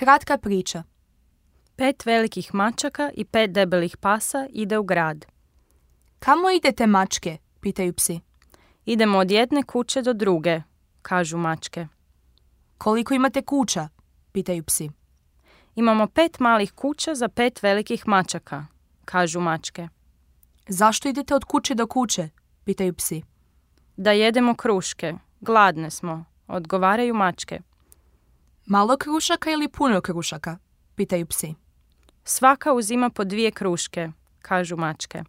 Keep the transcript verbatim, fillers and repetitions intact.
Kratka priča. Pet velikih mačaka i pet debelih pasa ide u grad. Kamo idete, mačke? Pitaju psi. Idemo od jedne kuće do druge, kažu mačke. Koliko imate kuća? Pitaju psi. Imamo pet malih kuća za pet velikih mačaka, kažu mačke. Zašto idete od kuće do kuće? Pitaju psi. Da jedemo kruške, gladne smo, odgovaraju mačke. Malo krušaka ili puno krušaka? Pitaju psi. Svaka uzima po dvije kruške, kažu mačke.